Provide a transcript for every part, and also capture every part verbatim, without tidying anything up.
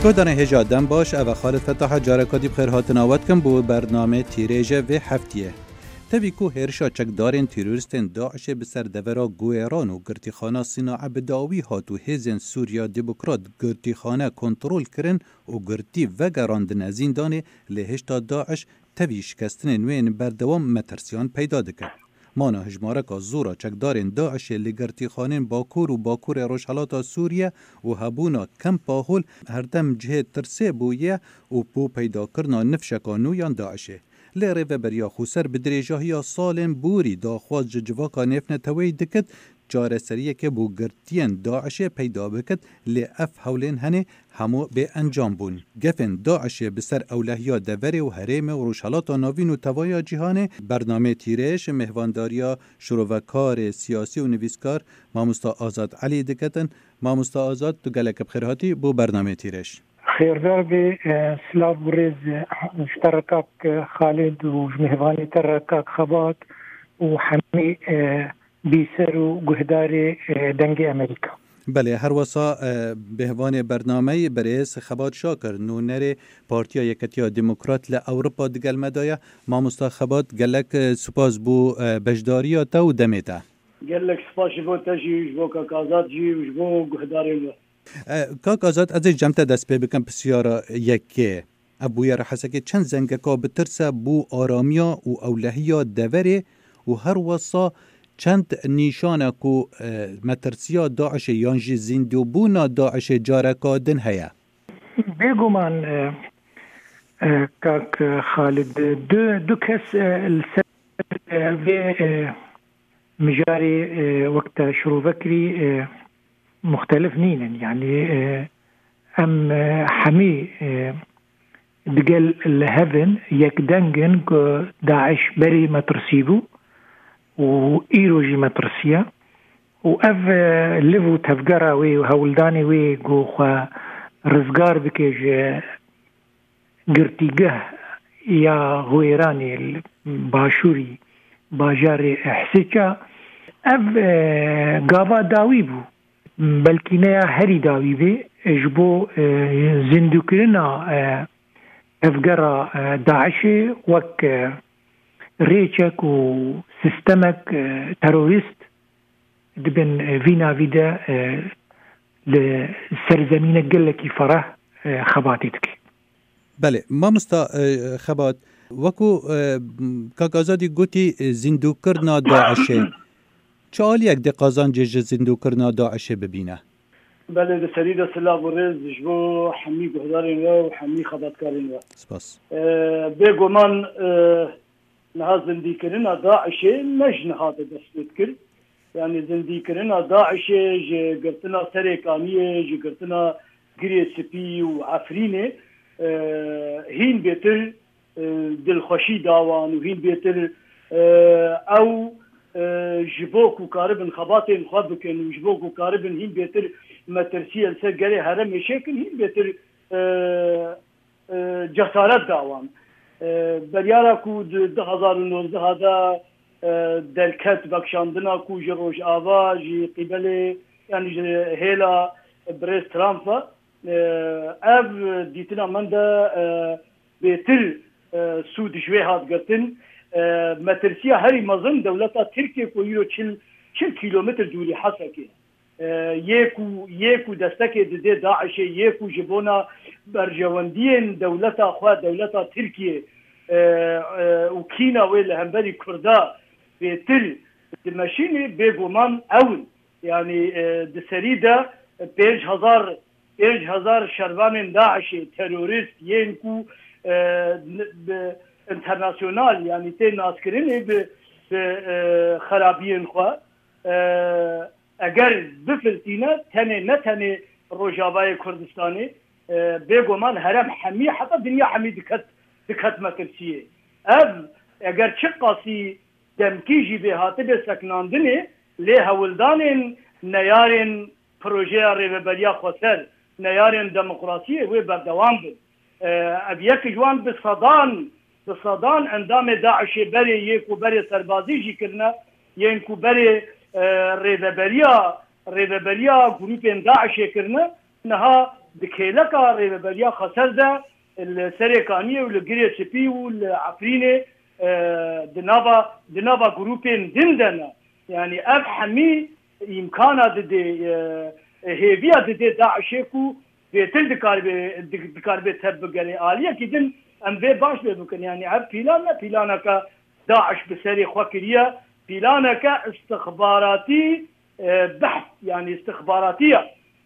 Guhdarên hêja dem baş, ev e Xalid Fetaha, careka dî bi xêr hatina we dikim bo bernamê tîrêje vê heftiyê. Tevî ku hêrişa çekdarên terorîstên DAIŞê bi ser devera Guêran û girtîxana Sînae bi dawî hat û hêzên Sûriya Demokrat girtîxane kontrol kirin û girtî vegerandine zîndanê, lê hêşta DAIŞ tevî şikestinên wê yên berdewam metirsiyan peyda dike. Mana hijmareka zor a çekdarên DAIŞê li girtîxanên Bakur û Bakurê Rojhelata Sûriye û hebûna kempa hol herdem cihê tirsê bûye û bo peydakirina nifşeka nû yan DAIŞê. Lê Rêveberiya Xweser bi dirêjahiya salên borî daxwaz ji civaka nêvneteweyî dikit, çareseriyeke bo girtiyên DAIŞê peyda bikit, lê ev hewlên henê hemû bê encam bûn. Gefên DAIŞê bi ser ewlehiya deverê û herêmê û Rojhelata Navîn û tevaya cîhanê. Bernameyê Tîrêj mêhvandariya şirovekarê siyasî û nivîskar Mamosta Azad Elî diketin. Mamosta Azad, tu gelek bi xêr hatî bo bernameyê Tîrêj. Xêrdar be, e, silav û rêz, e, ji te re kak, e, Xalid û ji mêhvanê te re kak Xebat û hemî, e, bîser û guhdarê, e, Dengê Amerîka. Belê, her wesa, e, bêhvanê bernameyê berêz Xebat Şakir, nûnerê Partiya Yeketiya Demokrat li Ewropa digel me de ye. Mamosta Xebat, gelek, e, spas bo, e, beşdariya te û demê te. Gelek spas ji bo te jî, ji bo Kak Azad jî û ji bo guhdarên we. E, Kak Azad, ez ê cem te dest pê bikim pisyara yekê. Ev bûyera Hesekê çend zengeka bi tirs e bo aramiya û ewlehiya deverê û her wesa çend nîşan e ku, e, metirsiya DAIŞê yan jî zîndobûna DAIŞê careka din heye? Bêguman, e, e, Kak Xalid, du, du kes, e, li ser, e, vê, e, mijarê, e, wek te şirove kirî, e, muxtelif nînin. Yanî, e, em, e, hemî, e, digel li hev in, yekdeng in ku DAIŞ berê metirsî bû û îro jî metirsiye. Û ev, e, liv û tevgera wê û hewldanê wê ku xwe rizgar bike ji girtîgeh ya Hwêranê li başûrî bajarê Ihsêça, ev, e, gava dawî bû. Belkî ne ya herî dawî bê, e, ji bo, e, zindûkirina, e, tevgera, e, DAIŞê wek, e, rêçek û sistemek, e, terorîst di bin, e, vî navî de, e, li serzemînek gelekî fereh, e, xebatê dike. Belê, mamosta, e, Xebat, wekû, e, Kak Azadî gotî, e, zîndûkirina DAIŞê. Çi aliyek dê qazancê ji zîndûkirina DAIŞê bibîne? Belê, di serî de silav û rêz ji bo hemî guhdarên we û hemî xebatkarên we. Spas. E, bêguman, e, niha zindîkirina DAIŞê ne ji niha de dest pê dikir. Yanî zindîkirina DAIŞê ji girtina Serê Kaniyê, ji girtina Girê Spî û Efrînê, e, hîn bêtir, e, dilxweşî da wan û hîn bêtir, e, ew, e, ji bo ku karibin xebatên xwe bikin û ji bo ku karibin hîn bêtir metirsiyê li ser gelê herêmê çêkin, hîn bêtir, e, e, cesaret da wan. E, beryara ku di du hezar û nozdeh de, e, derket vekişandina ku ji Rojava, ji qîbelê, yanî ji hêla birêz Trump ve, e, ev dîtina min de, e, bêtir, e, sûd ji wê hat girtin. E, metirsiya herî mezin dewleta Tirkiye ku îro çil, çil kîlometr dûrî Hesekê. E, yê ku, yê ku destekê didê DAIŞê, yê ku ji bona berjewendiyên dewleta xwe, dewleta Tirkiye, e, e, û kîna wê li hemberî Kurda bêtir dimeşînê, bêguman ew in. Yanî, e, di serî de pênc hezar, pênc hezar şervanên DAIŞê, terorîst, yên ku, e, n-, bi internasyonal, yanî tê naskirinê bi, bi, e, xerabiyên xwe, e, eger bifiltîne, tenê, ne tenê Rojavayê Kurdistanê, e, bêguman herêm hemî, heta dinya hemî diket, diket metirsiyê. Ev, eger çiqasî demkî jî bê hatibe sekinandinê, lê hewldanên neyarên projeya Rêveberiya Xweser, neyarên demokrasiyê wê berdewam bin. E, ev yek ji wan bi sedan, bi sedan endamê DAIŞê berê yê ku berê serbazî jî kirine, yên ku berê, e, rêveberiya, rêveberiya grûpên DAIŞê kirine, niha Di kêleka Rêveberiya Xweser de li Serê Kaniyê û li Girê Spî û li Efrînê, e, di nava, di nava grûpên din de ne. Yanî ev hemî îmkana didê, e, hêviya didê DAIŞê ku bêtir dikaribe, di-, dikaribe tev bigere. Aliyekî din em vê baş lê bikin. Yanî ev pîlan ne pîlaneke DAIŞ bi serê xwe kiriye. Pîlaneke istixbaratî, e, behs, yanî istixbaratî ye.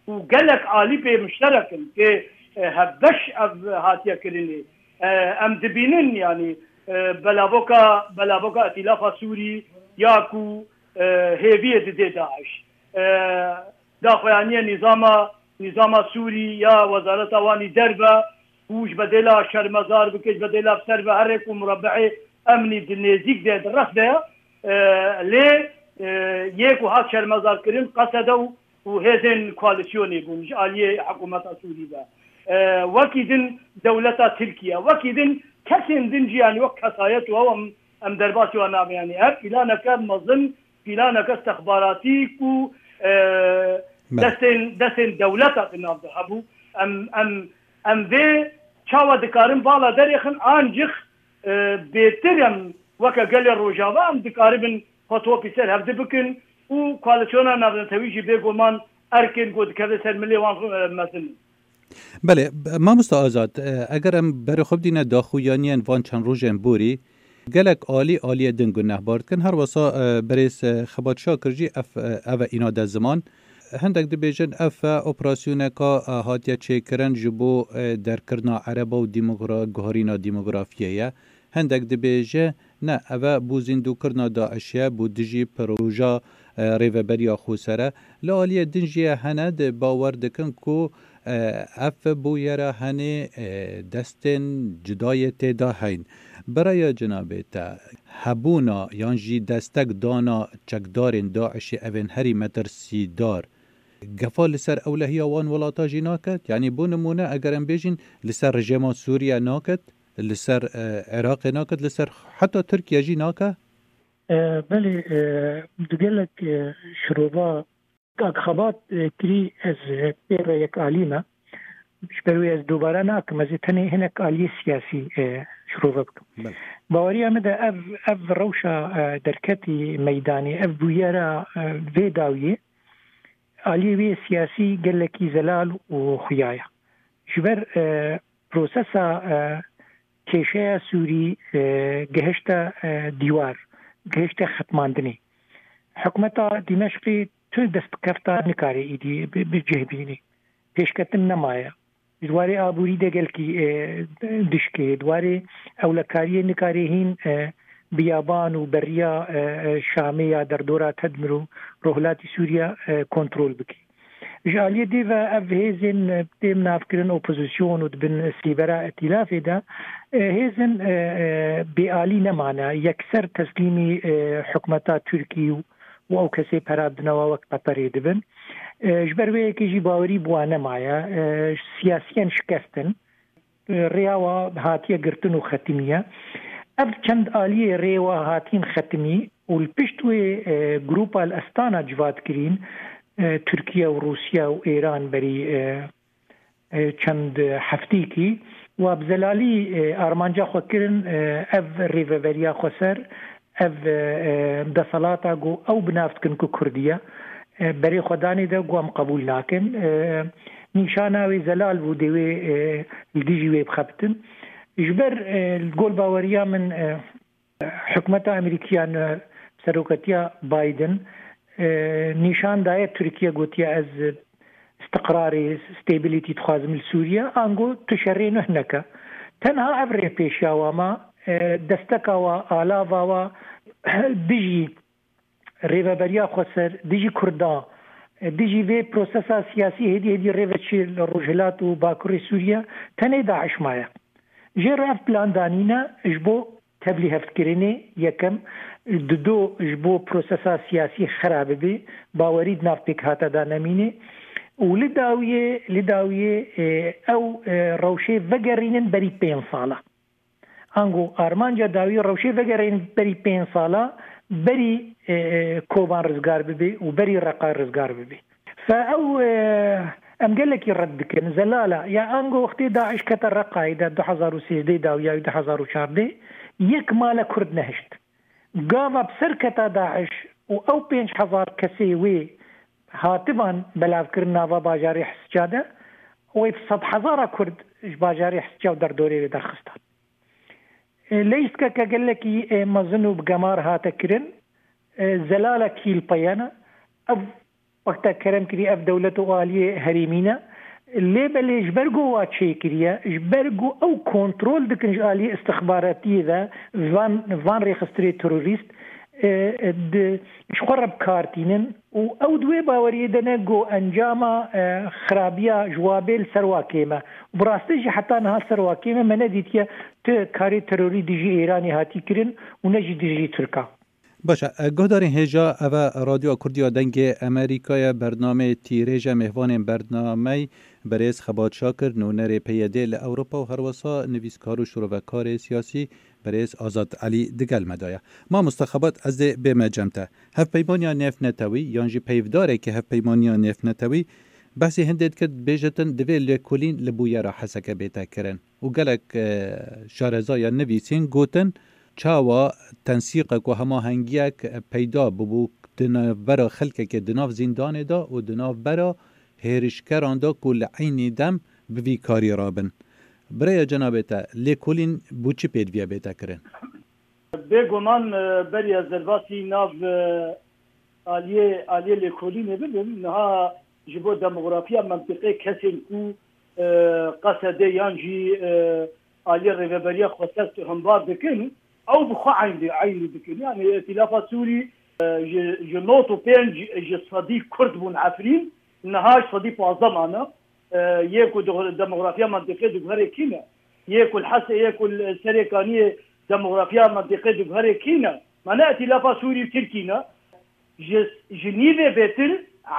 Û gelek alî pê mişterek in, pê, e, hevbeş ev hatiye kirinê. E, em dibînin, yanî, e, belavoka, belavoka Îtîlafa Sûrî ya ku, e, hêviyê didê DAIŞ. E, daxuyaniye nîzama, nîzama Sûrî ya Wezareta Wanî Derve, ku ji bedêla şermezar bike, ji bedêla bi ser ve here ku murebeê emnî di nêzîk de, di rex de ye. E, lê, e, yê ku hat şermezarkirin, Qesede û, û hêzên koalîsyonê bûn ji aliyê hikûmeta Sûrî ve. E, wekî din dewleta Tirkiye, wekî din kesên din jî, yanî wek kesayet û ew em, em derbasî wan nabin. Yanî ev pîlaneke mezin, pîlaneke istixbaratî ku, e, Belê. destên, destên dewleta di nav de hebû. Em, em, em vê çawa dikarin vala derêxin, ancîx, e, bêtir em weke gelê Rojava em dikaribin xwe topî ser hevdi bikin û koalîsyona navnetewî jî bêguman erkên ku dikeve ser milê wan, e, mezin in. Belê, mamosta Azad, e, eger em berê xwe bidîne daxuyaniyên van çend rojên borî, gelek alî aliyê din gunehbar dikin. Her wesa, e, berêz, e, Xebat Şakir jî ev, e, ev e îna de ziman. Hindek dibêjin ev e operasyoneka, e, hatiye çêkirin ji bo, e, derkirina ereba û demogra-, guherîna demografiyê ye. Hindek dibêje, ne, ev e bo zîndokirina DAIŞê ye, bo dijî proja, e, Rêveberiya Xweser e. Li aliyê din jî hene di bawer dikin ku, e, ev bûyera henê, e, destên cudayê tê de heyn. Bi raya cenabê te, hebûna yan jî destek dana çekdarên DAIŞê evên herî metirsîdar, gefa li ser ewlehiya wan welata jî naket? Yanî bo nimûne eger em bêjin li ser rejîma Sûriye naket, li ser, e, Iraqê naket, li ser heta Tirkiye jî nake? E, belê, e, di gelek, e, şirova Kak Xebat, e, kirî ez, e, pê re yekalî me. Ji ber wê ez dubare nakim, ez ê tenê hinek aliyê siyasî, e, şirove bikim. Belê. Baweriya min de ev, ev rewşa, e, derketî meydanê, ev bûyera, e, vê dawiyê, aliyê wê siyasî gelekî zelal û xuya ye. Ji ber, e, prosesa, e, kêşeya Sûrî, e, gihişte, e, dîwar, gihişte xetmandinê. Hikûmeta Dîmeşqê tu destbikefta nikare îdî bi, bi cih bînî. Pêşketin nemaye. Di warê aborî de gelkî, e, dişkê. Di warê ewlekariyê nikarê hîn, e, biyaban û beriya, e, e, Şamê ya derdora Tedmir û rojhilatî Sûriye, e, kontrol bikî. Ji aliyê dê ve ev hêzên, e, têm navkirin opozîsyon û di bin sîvera îtîlafê de, e, hêzên, e, e, bêalî nemane, yekser teslîmî, e, hikûmeta Tirkî û û ew kesê pera didine we wek Qeterê dibin. E, ji ber wê yekê jî bawerî bi wan nemaye. E, siyasiyen şikestin. E, rêya we hatiye girtin û xetimiye. Ev çend aliyê rê we hatîn xetimî û li pişt wê, e, grûpa li Estana civat kirîn, e, Tirkiye û Rûsya û Êran berî, e, e, çend heftîkî, wa bi zelalî, e, armanca xwe kirin, e, ev rêveberiya xweser, ev, e, e, deselata ku ew bi nav dikin ku Kurdî ye, e, berê xwe danê de ku em qebûl nakin. E, nîşana wê zelal bû, dê wê, e, li dijî wê bixebitin. Ji ber, e, li gol baweriya min, e, Hikûmeta Amerîkiyan, e, seroketiya Biden, e, nîşan daye Tirkiye, gotiye, ez istiqrarê, stability dixwazim li Sûriye, ango tu şerê nuh neke. Tenha ev rê pêşiya wa ma, e, desteka wa, alava wa dijî rêveberiya xweser, dijî Kurdan, e, dijî vê prosesa siyasî hêdî hêdî rê ve çê li Rojhilat û Bakurê Sûriye tenê DAIŞ maye. Jê re ev plan danîne ji bo tevlîhevkirinê yekem, dido ji bo prosesa siyasî xera bibe, bawerî di nav pêkhata de nemîne û li dawiyê, li dawiyê, e, ew, e, rewşê vegerînin berî pênc sala. Ango armanca dawî rewşê vegerînin berî pênc sala, berî, e, e, Koban rizgar bibe û berî Reqa rizgar bibe. Fe ew, e, Em gelekî red dikin. Zelala, ya ango wextê DAIŞ kete Reqayê de du hezar û sêzdeh de û ya du hezar û çardeh, yek male Kurd nehişt. Gava bi ser keta DAIŞ û ew pênc hezar kesê wê hativan belavkirin nava bajarê Hisica de, wê sed hezara Kurd ji bajarê Hisica û derdorê wê derxistan. E, leyîstkeke gelekî, e, mezin û bi gemar hate kirin. E, zelale kîl peyena. Ev wexta kerem kirî, ev dewlet û aliyê herêmî ne. Lê belê ji ber ku wa çêkiriye, ji ber ku ew kontrol dikin ji aliyê istixbaratiyê ve van, van rêxistirê terorîst, e, e, di, ji xwe re bi kar tînin û ew di wê baweriyê de ne ku encama, e, xirabiya ji wa bê li ser wa kêm e. Bi rastî jî heta niha ser wa kêm e, me nedîtiye tu karê terorî dijî Îranê hatî kirin û ne jî dijî Tirka. Baş e, guhdarên hêja, ev e Radyoya Kurdiya Dengê Amerîkayê, bernameyê Tîrêj e, mêvanên bernameyê berêz Xebat Şakir, nûnerê P Y D li Ewropa û herwesa nivîskar û şirovekarê siyasî berêz Azad Elî digel me de ye. Mamoste Xebat, ez dê bême cem te. Hevpeymaniya nêvnetewî yan jî peyvdarekî hevpeymaniya nêvnetewî behsê hindê dikir, dibêjitin divê lêkolîn li bûyera Heseke bête kirin. Û gelek, e, şareza ya nivîsîn gotin, çawa tensîqek û hemahengiyek peyda bibû di navbera xelkekê di nav zîndanê de û di navbera hêrişkeran de ku li eynî dem bi vî karî rabin. Bi rêya cenabê te, lêkolîn bo çi pêdiviye bête kirin? Bêguman, e, beriya ez derbasî nav, e, aliyê, aliyê lêkolînê bibim, niha ji bo demografiya mentiqê kesên ku, e, Qesedê yan jî, e, aliyê Rêveberiya Xweser tu hembar dikin, ew bi xwe eynî, eynî dikin. Yani Îtîlafa Sûrî, e, ji, ji nod û pênc ji sedî Kurd bûn Efrîn, niha ji sedî pazdeh mane. E, yê ku di demografiya mentiqê diguherê kî ne? Yê ku li Hesê, yê ku li Serê Kaniyê demografiya mentiqê diguherê kî ne? Mane Îtîlafa Sûrî û Tirkî ne? Ji, ji nîvê bêtir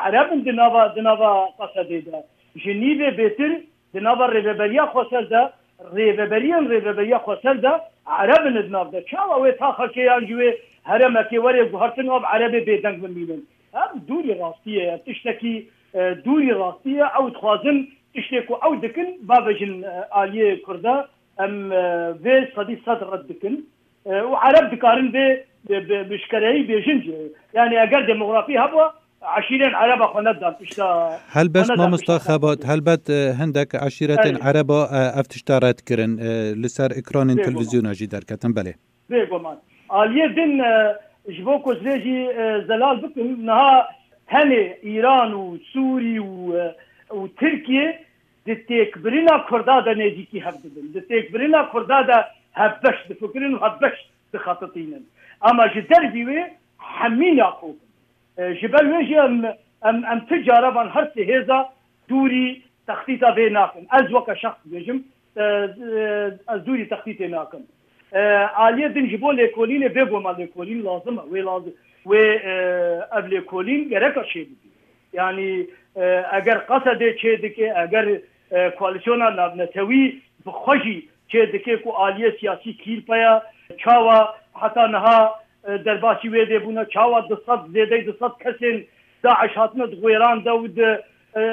Ereb in di nava, di nava Qesedê de. Ji nîvê bêtir di nava Rêveberiya Xweser de, rêveberiyên Rêveberiya Xweser de Ereb in di nav de. Çawa wê taxekê yan jî wê herêmekê were guhertin, ev Erebê bêdeng bimînin? Ev dûrî rastiyê ye. Tiştekî, e, dûrî rastiyê. Ew dixwazin tiştê ku ew dikin, bavêjin, e, aliyê Kurda. Em, e, vê sedî sed red dikin. E, û Ereb dikarin vê bi, bi, bi şkereyî bêjin jî. Yani eger demografî hebû, eşîrên Ereba xwe nedan tişta. Helbet, xwe nedan mamosta tişta. Xebat, helbet, e, hindek eşîretên Erê. Ereba, e, ev tişta red kirin, e, li ser ekranên Bêguman. Televîzyona jî derketin, belê. Bêguman. Aliyê din, e, ji bo ku ez vê jî, e, zelal bikim, niha tenê Îran û Sûrî û, e, û Tirkiye di têkbirina Kurda de nêzîkî hev dibin. Di têkbirina Kurda de hevbeş difikirin û hevbeş dixetitînin. Ama ji dervî wê hemî nakobin. E, ji ber wê jî em, em, em ti cara van her sê hêza dûrî textîta vê nakin. Ez weke şexs dibêjim, e, e, ez dûrî textîtê nakim. E, aliyê din ji bo lêkolînê, bêguman lêkolîn lazim e. Wê lazim, wê, e, ev lêkolîn gereka çêbibî. Yani, e, eger Qesedê çêdike, eger, e, koalîsyona navnetewî bi xwe jî çêdike ku aliyê siyasî kî li pey e, çawa heta niha, e, derbasî wê dê bûne, çawa du sed, zêdeyî du sed kesên DAIŞ hatine di Wêran de û di, e,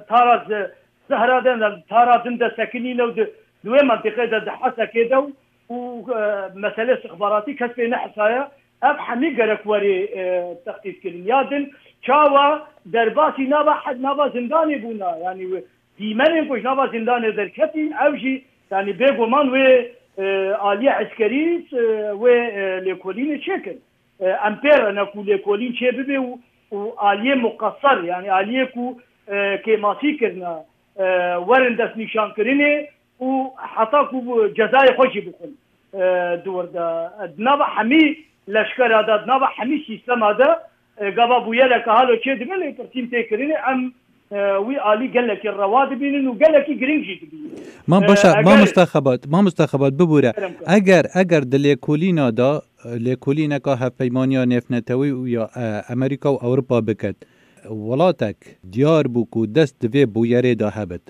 Tara Ze-, Zehra de, Tara din de sekinîne û di, di wê mentiqê de, di Hesekê de û, û, e, meselê istixbaratî kes pê nehesaye. Ev hemî gerek werê, e, textît kirin. Ya din çawa derbasî nava hed-, nava zindanê bûna. Yani dîmenên ku ji nava zindanê derketîn, ew jî, yani bêguman wê, e, aliyê eskerî, e, wê, e, lêkolînê çêkin. E, em pê re ne ku lêkolîn çê bibe û, û aliyê muqeser, yani aliyê ku, e, kêmasî kirine, e, werin destnîşankirinê û heta ku bu cezayê xwe jî bixwin, e, di wir de. Di nava hemî leşkera de, di nava hemî sîstema de, e, gava bûyereke halo çê dibe, lê pirtîn tê kirinê, em, e, wî alî gelekî rewa dibînin û gelekî girîng jî dibînin. Ma E, baş e, eger mamosta Xebat, mamosta Xebat, bibûre. Kerem kir. Eger, eger di lêkolîna de, e, lêkolîneka Hevpeymaniya Nêvnetewî û ya, e, Amerîka û Ewropa biket, welatek diyar bû ku dest di vê bûyerê de hebit.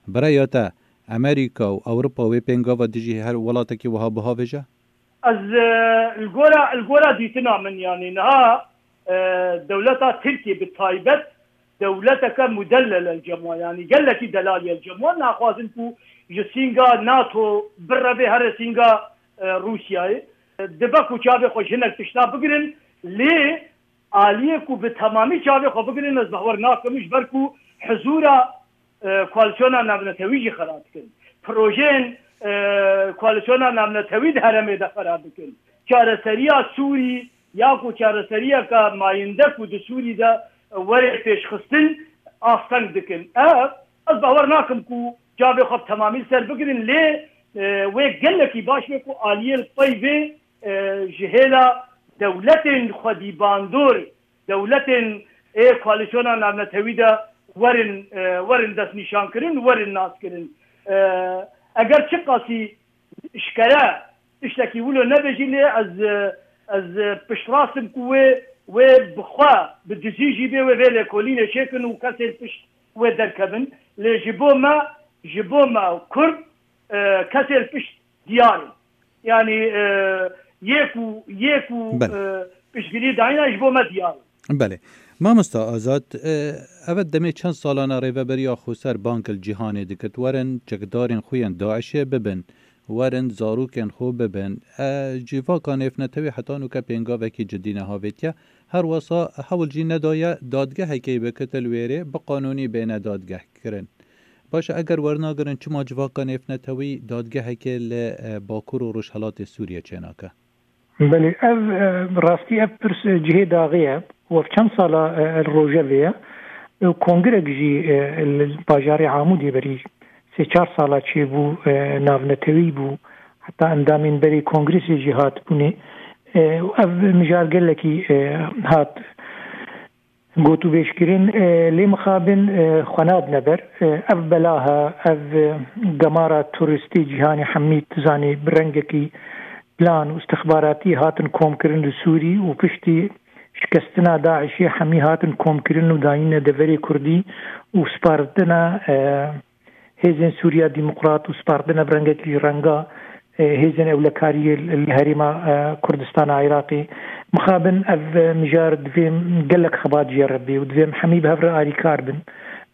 Bi rêya te, Amerîka û Ewropa wê pêngava dijî her welatekî wiha bihavêje? Ez, e, li gora, li gora dîtina min, yanî niha, e, dewleta Tirkiyê bi taybet dewleteke mudellel el cem wan, yanî gelekî delalî el cem wan, naxwazin ku ji sînga NATO birevê here sînga, e, Rûsyayê. Dibe ku çavê xwe ji hinek tişta bigirin, lê aliyê ku bi temamî çavê xwe bigirin, ez bawer nakim, ji ber ku hizûra, e, koalîsyona navnetewî jî xera dikin. Projeyên, e, koalîsyona navnetewî di herêmê de xera dikin. Çareseriya Sûrî ya ku çareseriyeke mayînde ku di Sûrî de were pêşxistin, asteng dikin. Ev, ez bawer nakim ku çavê xwe bi temamî li ser bigirin, lê, e, wê gelekî baş be ku aliyê li pey vê, e, ji hêla dewletên xwedî bandor, dewletên ê koalîsyona navnetewî de werin, e, werin destnîşankirin, werin naskirin. E, eger çiqasî eşkere tiştekî wilo nebe jî, lê ez, ez piştrast im ku wê, wê bi xwe, bi dizî jî bê, wê vê lêkolînê çêkin û kesên pişt wê derkevin. Lê ji bo me, ji bo me Kurd, e, kesên pişt diyar in. Yanî, e, yê ku, yê ku, Belê. e, piştgirî dayîne ji bo me diyar in. Belê. Mamosta Azad, e, evet demê çend salana Rêveberiya Xweser bang li cîhanê dikir, werin çekdarên xwe yên DAIŞê bibin, werin zarokên xwe bibin. E, civaka nêvnetewî heta nûke pêngavekî cidî nehavêtiye. Her wesa hewl jî nedaye dadgehekê bikitin wêrê, bi qanûnî bêne dadgehkirin. Baş e, eger wernagirin, çima civaka nêvnetewî dadgehekê li, e, Bakur û Rojhelatê Sûriyê çênake? Belê, ev, e, rastî ev pirs, e, cihê daxê ye. Ev çend sala, e, li rojevê ye. E, kongirek jî, e, li bajarê Amûdê berî sê çar sala çêbû, e, navnetewî bû. Heta endamên berê kongresê jî hatibûnê. E, ev mijar gelekî, e, hat gotûbêjkirin, e, lê mixabin, e, xwe nadine ber. E, ev belaha, ev, e, gemara turistî cîhanê hemî, tu zanî, bi rengekî plan û istixbaratî hatin komkirin li Sûrî û piştî şikestina DAIŞê hemî hatin komkirin û dayîne deverê Kurdî û spartina, e, Hêzên Sûriya Demokrat û spartine bi rengekî renga, e, hêzên ewlekariyê li herêma, e, Kurdistana Iraqê. Mixabin ev, e, mijar divê gelek xebat jê re bê û divê em hemî bi hev re alîkar bin.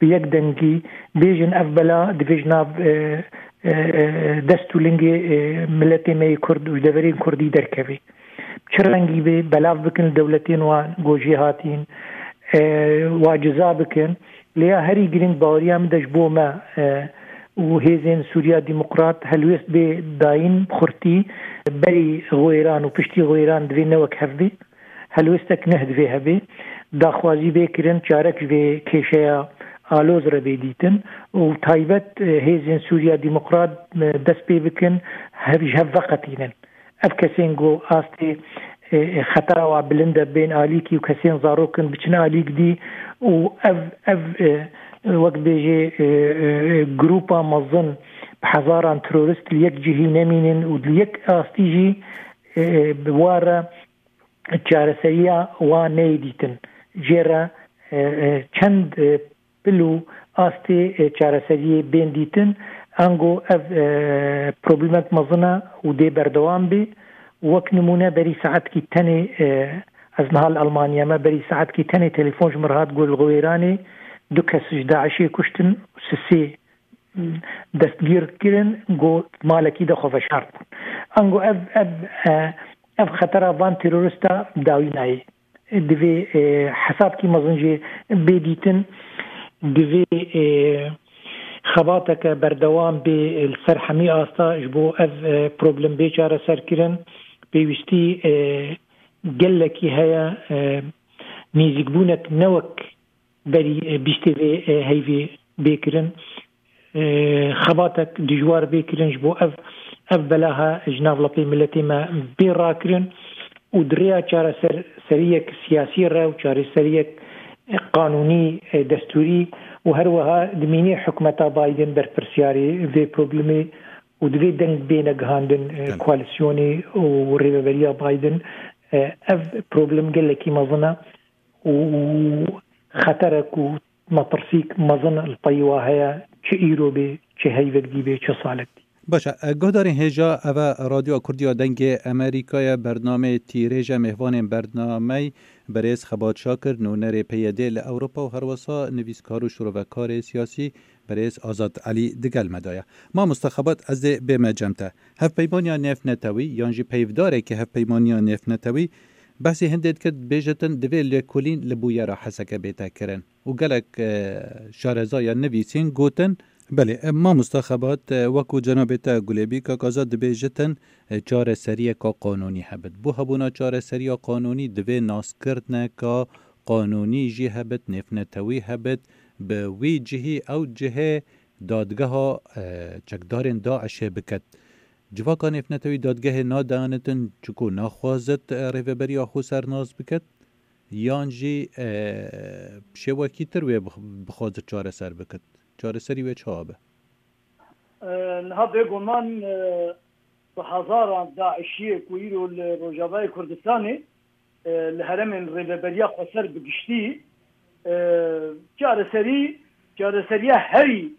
Bi yek dengî bêjin ev bela divê ji nav, e, e, e, dest û lingê, e, miletê me yê Kurd û ji deverên Kurdî derkevê. Çi rengî bê, belav bikin li dewletên wan ku jê hatîn, e, wa ciza bikin. Lê ya herî girîng baweriya min de ji bo me, e, û hêzên Sûriya Demokrat helwêst bê dayîn bi xurtî, berî xwêran û piştî xwêran divê ne wek hev bê. Helwêstek nuh divê hebe. Daxwazî bê kirin, çarek ji vê kêşeya aloz re bê dîtin û taybet, e, hêzên Sûriya Demokrat, e, dest pê bikin, hev, ji hev veqetînin. Ev kesên ku astê, e, e, xetera wa bilind e, bên alîkî û kesên zarok in biçin alîk dî û ev, ev, e, wek bêjê, e, e, e, grûpa mezin bi hezaran terorist li yek cihî nemînin û li yek astî jî, e, e, bi wa re çareseriya wa neyê dîtin. Jê re, e, e, çend, e, pil û astê, e, çareseriyê bên dîtin. Ango ev, e, problemek mezin e û dê berdewam bê. Wek nimûne berî saetkî tenê, e, ez niha li Almanya me, berî saetkî tenê telefon ji min re hat, got li Xwêranê du kes ji DAIŞê kuştin û sisê destgîr kirin, got malekî de xwe veşart bûn. Ango ev, ev, e, ev xetera van terorista dawî nayê. Divê, e, hesabkî mezin jê bê dîtin. Divê, e, xebateke berdewam bê, e, li ser hemî asta ji bo ev, e, problem bê çareserkirin. Pêwîstî, e, gelekî heye, e, nêzîkbûnek ne wek berî, e, bîstê vê, e, heyvê bê kirin. E, xebatek dijwar bê kirin ji bo ev, ev belaha ji nav lepê miletê me bê rakirin û di rêya çareser-, seriyek siyasî re û çareseriyek, e, qanûnî, e, destûrî û her wiha dimînê hikûmeta Biden berpirsiyarê vê problemê û divê deng bêne gihandin, e, Belê. koalîsyonê û rêveberiya Biden. E, ev problem gelekî mezin e û xeterek û metirsîk mezin li pey wa heye, çi îro bê, çi heyvek dî bê, çi salek dî. Baş e, e, guhdarên hêja, ev e Radyoya Kurdiya Dengê Amerîkayê, bernameyê Tîrêj e, mêvanên bernameyê Berêz Xebat Şakir, nûnerê P Y D li Ewropa û herwesa nivîskar û şirovekarê siyasî, berêz Azad Elî digel me de ye. Mamoste Xebat, ez dê bême cem te. Hevpeymaniya nêvnetewî yan jî peyvdarekî hevpeymaniya nêvnetewî behsî hindê dikir, dibêjitin divê lêkolîn li bûyera Heseke bête kirin. Û gelek, e, şareza ya nivîsîn gotin. Belê, e, mamoste Xebat, e, wekû cenabê te Gulêbî, kak Azad dibêjitin, e, çareseriyeka qanûnî hebit. Bo hebûna çareseriya qanûnî divê naskirineka qanûnî jî hebit, nêvnetewî hebit, bi wî cihî ew cihê dadgeha, e, çekdarên DAIŞê bikit. Civaka nêvnetewî dadgehê nadanitin, çiku naxwazit, e, rêveberiya xwe ser nas bikit, yan jî, e, şêwekî tir wê bix-, bixwazit çareser bikit. Çareserî wê çawa be? E, niha bêguman, e, bi hezaran DAIŞiyê ku îro li Rojavayê Kurdistanê, e, li herêmên Rêveberiya Xweser bi giştî, e, çareserî, çareseriya herî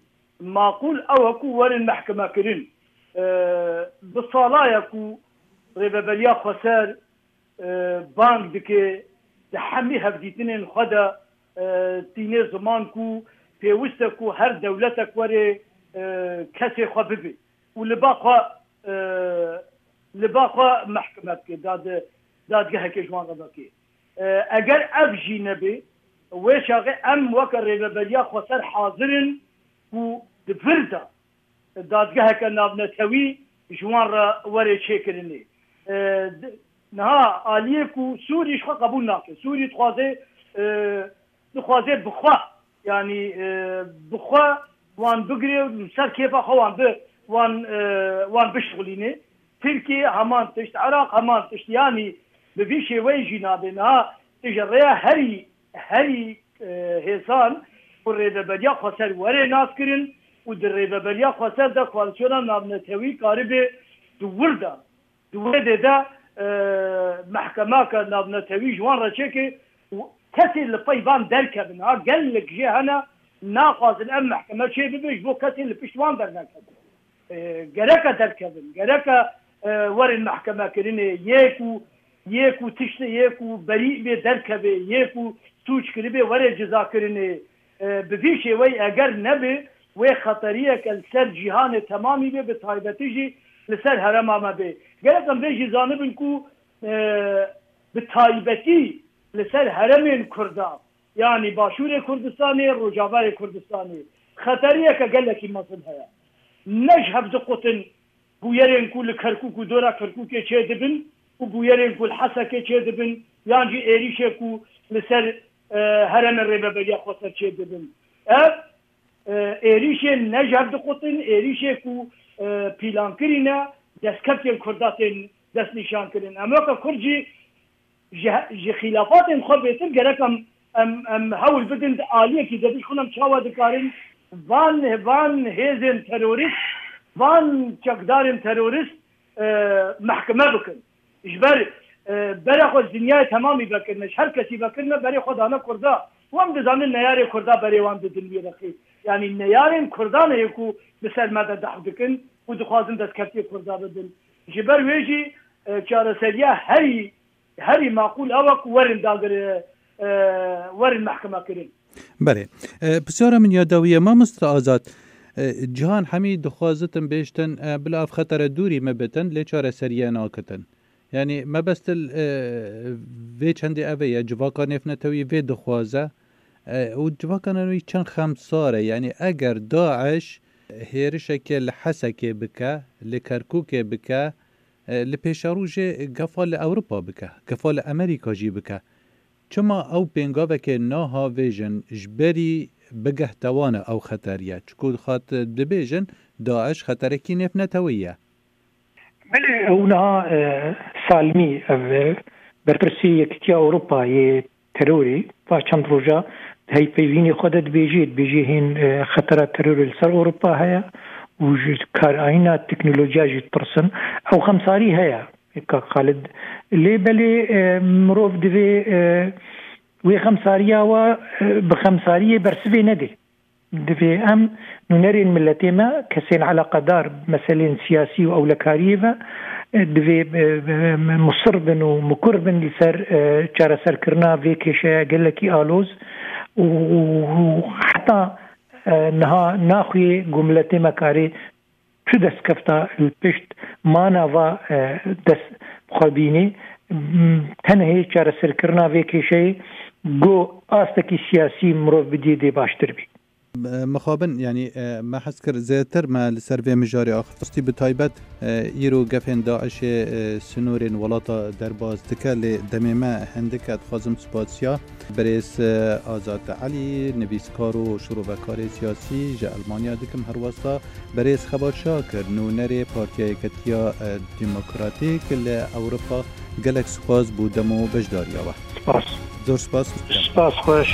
maqûl ew e ku werin mehkemekirin. E, bi sala ye ku Rêveberiya Xweser, e, bang dike, di hemî hevdîtinên xwe de, e, tîne ziman ku pêwist e ku her dewletek were, e, kesê xwe bibe û li ba xwe, e, li ba xwe mehkeme bike, dad-, dadgehekê ji wan re veke. E, eger ev jî nebe, wê çaxê em weke Rêveberiya Xweser hazir in ku di vir de dadgeheke navnetewî ji wan re were çêkirinê. E, di-, niha aliyê ku Sûrî ji xwe qebûl nake. Sûrî dixwaze, e, dixwaze bi xwe, yanî, e, bi xwe wan bigire û li ser kêfa xwe wan bi, wan, e, wan bişixulîne. Tirkiye heman tişt, Iraq heman tişt, yanî bi vî şêweyê jî nabe. Niha tu ji rêya herî, herî, e, hêsan ku Rêveberiya Xweser were naskirin û di Rêveberiya Xweser de koalîsyona navnetewî karibe di wir de, di wê dê de, e, mehkemaka navnetewî ji wan re çêke û kesê li pey van derkevin. Ha, gelek jê hene naxwazin ev mehkeme çêbibe ji bo kesê li pişt wan dernekevin. E, gereke derkevin, gereke, e, werin mehkemekirinê, yê ku, yê ku tiştê, yê ku berî bê derkevê, yê ku sûc kiribê were cizakirinê, e, bi vî şêweyî eger nebe, wê xeteriyeke li ser cîhanê temamî bê, bi taybetî jî li ser herêma me bê. Gerek em vê jî zanibin ku, e, bi taybetî li ser herêmên Kurda, yanî Başûrê Kurdistanê, Rojavayê Kurdistanê, xeteriyeke gelekî mezin heye. Ne ji hev diqutin bûyerên ku li Kerkûk û dora Kerkûkê çêdibin û bûyerên ku li Hesekê çêdibin, yan jî êrîşê ku li ser, e, herêmên Rêveberiya Xweser çêdibin. Ev, e, êrîşên ne ji hev diqutin, êrîşê ku, e, pîlankirî ne, destkeftên Kurda tên destnîşankirin. Em weke Kurd jî ji, ji xîlafatên xwe bêtir gerek em, em, em hewl bidin di aliyekî de bişxin em çawa dikarin van, van hêzên terorîst, van çekdarên terorîst, e, mehkeme bikin. Ji ber, e, berê xwe ji dinyayê temamî vekirine, ji her kesî vekirine, berê xwe dane Kurda. Û em dizanin neyarê Kurda berê wan didin wî rexî. Yanî neyarên Kurdan heye ku bi ser me de dehf dikin û dixwazin destkeftiyê Kurda bidin. Ji ber wê jî, e, çareseriya herî, herî maqûl ew e ku werin dagir, e, werin mehkeme kirin. Belê. E, pisyara min ya dawî ye, mamoste Azad. E, cihan hemî dixwazitin bêjtin, e, bila ev xetere dûrî me bitin, lê çareseriye nakitin. Yanî mebestil, e, vê çendê ev e ye, civaka nêvnetewî vê dixwaze. E, û civaka nêvnetewî çend xemsar e. Yanî eger DAIŞ hêrişeke li Hesekê bike, li Kerkûkê bike, e, li pêşerojê gefa li Ewropa bike, gefa li Amerîka jî bike. Çima ew pêngavekê nahavêjin ji berî bigehte wan e ew xeteriye? Çiku xat dibêjin DAIŞ xeterekî nêvnetewî ye. Belê, ew niha, e, Salmî, ev, e, berpirsî Yekîtiya Ewropa yê terorê, va çend roja di hevpeyvînê xwe de dibêjê, dibêjê hên, e, xetera terorê li ser Ewropa heye û ji karayîna teknolojiya jî ditirsin. Ew xemsarî heye, kak Xalid. Lê belê, e, mirov divê, e, wê xemsariya we, e, bi xemsariyê bersivê nedê. Divê em nûnerên miletê me, kesên eleqedar bi meselên siyasî û ewlekariyê ve, e, divê, e, e, musir bin û mukur bin li ser, e, çareserkirina vê kêşeya gelekî aloz û, û, û heta, e, niha naxuyê ku miletê me karê tu destkefta li pişt mana va, e, dest xwe bînî, m, tenê çareserkirina vê kêşeyê ku astekî siyasî mirov bidiyê dê baştir bî. Mixabin, yanî, e, me hez kir zêdetir me li ser vê mijarê axiftiye. Bi taybet, e, îro gefên DAIŞê, e, sinorên welata derbas dike, lê demê me hindik e. Dixwazim spasiya birêz, e, Azad Elî, nivîskar û şirovekarê siyasî ji Elmanya dikim. Her wesa birêz Xebat Şakir, nûnerê Partiya Yeketiya, e, Demokratîk li Ewropa. Gelek spas bo dem û beşdariya we. Spas. Zor spas. Spas xweş.